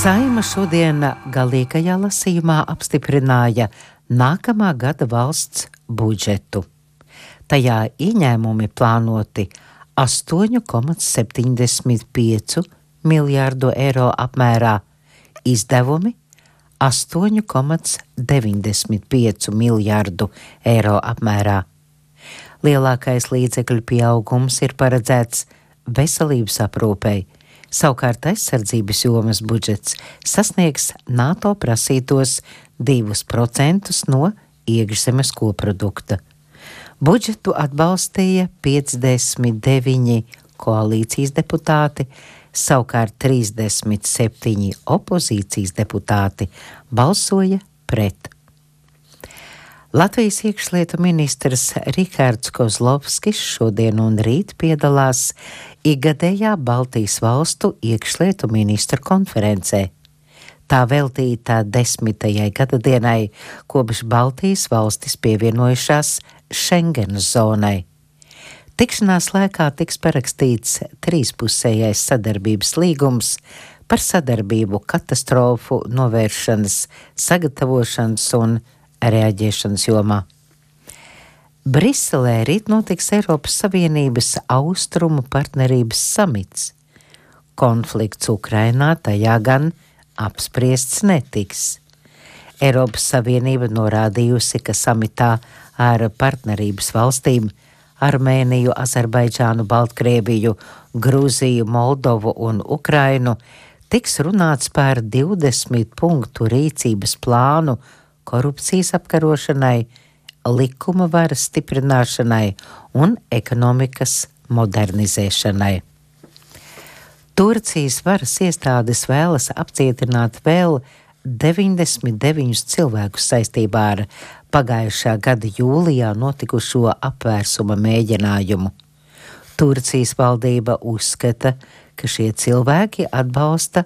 Saeima šodien galīgajā lasījumā apstiprināja nākamā gada valsts budžetu. Tajā ieņēmumi plānoti 8,75 miljārdu eiro apmērā, izdevumi 8,95 miljārdu eiro apmērā. Lielākais līdzekļu pieaugums ir paredzēts veselības aprūpei, savukārt aizsardzības jomas budžets sasniegs NATO prasītos 2% no iekšzemes koprodukta. Budžetu atbalstīja 59 koalīcijas deputāti, savukārt 37 opozīcijas deputāti balsoja pret. Latvijas iekšlietu ministrs Rihards Kozlovskis šodien un rīt piedalās ikgadējā Baltijas valstu iekšlietu ministru konferencē. Tā veltīta 10. gadadienai, kopš Baltijas valstis pievienojušās Schengenas zonai. Tikšanās laikā tiks parakstīts trīspusējais sadarbības līgums par sadarbību katastrofu novēršanas, sagatavošanas un reaģēšanas jomā. Briselē rīt notiks Eiropas Savienības austrumu partnerības samits. Konflikts Ukrainā tajā gan apspriests netiks. Eiropas Savienība norādījusi, ka samitā ar partnerības valstīm Armēniju, Azerbaidžānu, Baltkrieviju, Grūziju, Moldovu un Ukrainu tiks runāts par 20 punktu rīcības plānu korupcijas apkarošanai, likuma varas stiprināšanai un ekonomikas modernizēšanai. Turcijas varas iestādes vēlas apcietināt vēl 99 cilvēkus saistībā ar pagājušā gada jūlijā notikušo apvērsuma mēģinājumu. Turcijas valdība uzskata, ka šie cilvēki atbalsta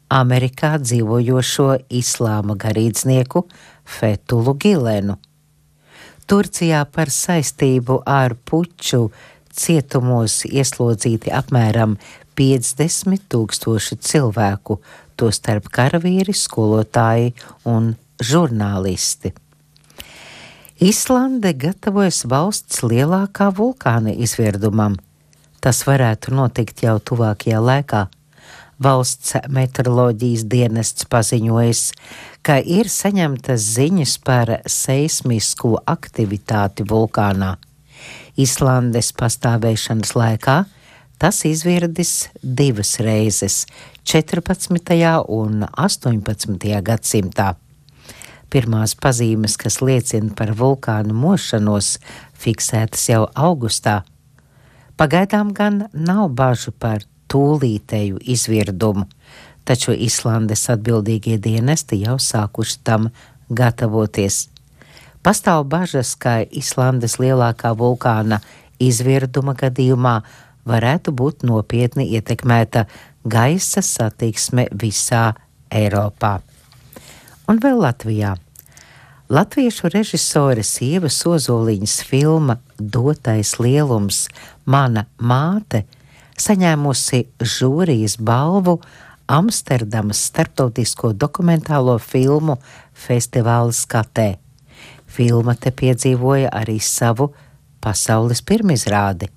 Amerikā dzīvojošo islāma garīdznieku Fethulu Gilenu. Turcijā par saistību ar puču cietumos ieslodzīti apmēram 50,000 cilvēku, tostarp karavīri, skolotāji un žurnālisti. Islande gatavojas valsts lielākā vulkāna izvirdumam. Tas varētu notikt jau tuvākajā laikā. Valsts meteoroloģijas dienests paziņojas, ka ir saņemtas ziņas par seismisku aktivitāti vulkānā. Islandes pastāvēšanas laikā tas izvirdis 2 reizes – 14. un 18. gadsimtā. Pirmās pazīmes, kas liecina par vulkānu mošanos, fiksētas jau augustā. Pagaidām gan nav bažu par tūlītēju izvirdumu, taču Islandes atbildīgie dienesti jau sākuši tam gatavoties. Pastāv bažas, ka Islandes lielākā vulkāna izvirduma gadījumā varētu būt nopietni ietekmēta gaisa satiksme visā Eiropā. Un vēl Latvijā. Latviešu režisores Ievas Ozoliņas filma Dotais lielums – Mana māte saņēmusi žūrijas balvu Amsterdamas starptautisko dokumentālo filmu festivāla skatē. Filma te piedzīvoja arī savu pasaules pirmizrādi.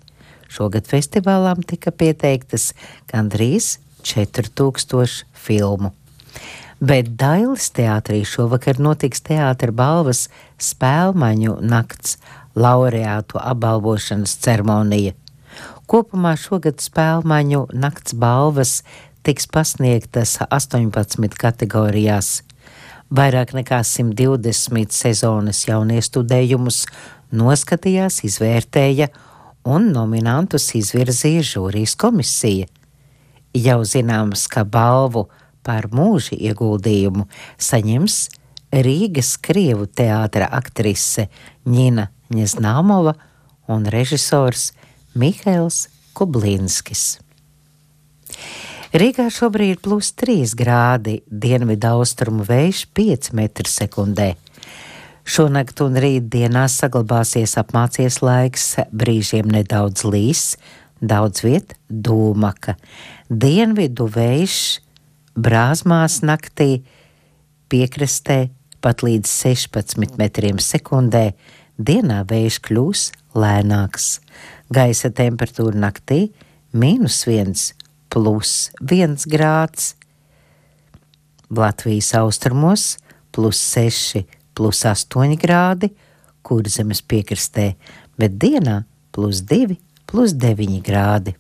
Šogad festivālām tika pieteiktas gandrīz 4000 filmu. Bet Dailes teātrī šovakar notiks teātra balvas Spēlmaņu nakts laureātu apbalvošanas ceremonija. Kopumā šogad Spēlmaņu nakts balvas tiks pasniegtas 18 kategorijās. Vairāk nekā 120 sezonas jauniestudējumus noskatījās, izvērtēja un nominantus izvirzīja žūrijas komisija. Jau zināms, ka balvu par mūža ieguldījumu saņems Rīgas Krievu teātra aktrise Ņina Ņeznāmova un režisors Mihails Kublinskis. Rīgā šobrīd +3 grādi, dienvidaustrumu vējš 5 m/sekundē. Šonakt un rītdienā saglabāsies apmācies laiks, brīžiem nedaudz līs, daudz viet dūmaka. Dienvidu vējš Brāzmās naktī piekrastē pat līdz 16 metriem sekundē, dienā vējš kļūs lēnāks. Gaisa temperatūra naktī -1 +1 grāds. Latvijas austrumos +6 +8 grādi, Kurzemes piekrastē, bet dienā +2 +9 grādi.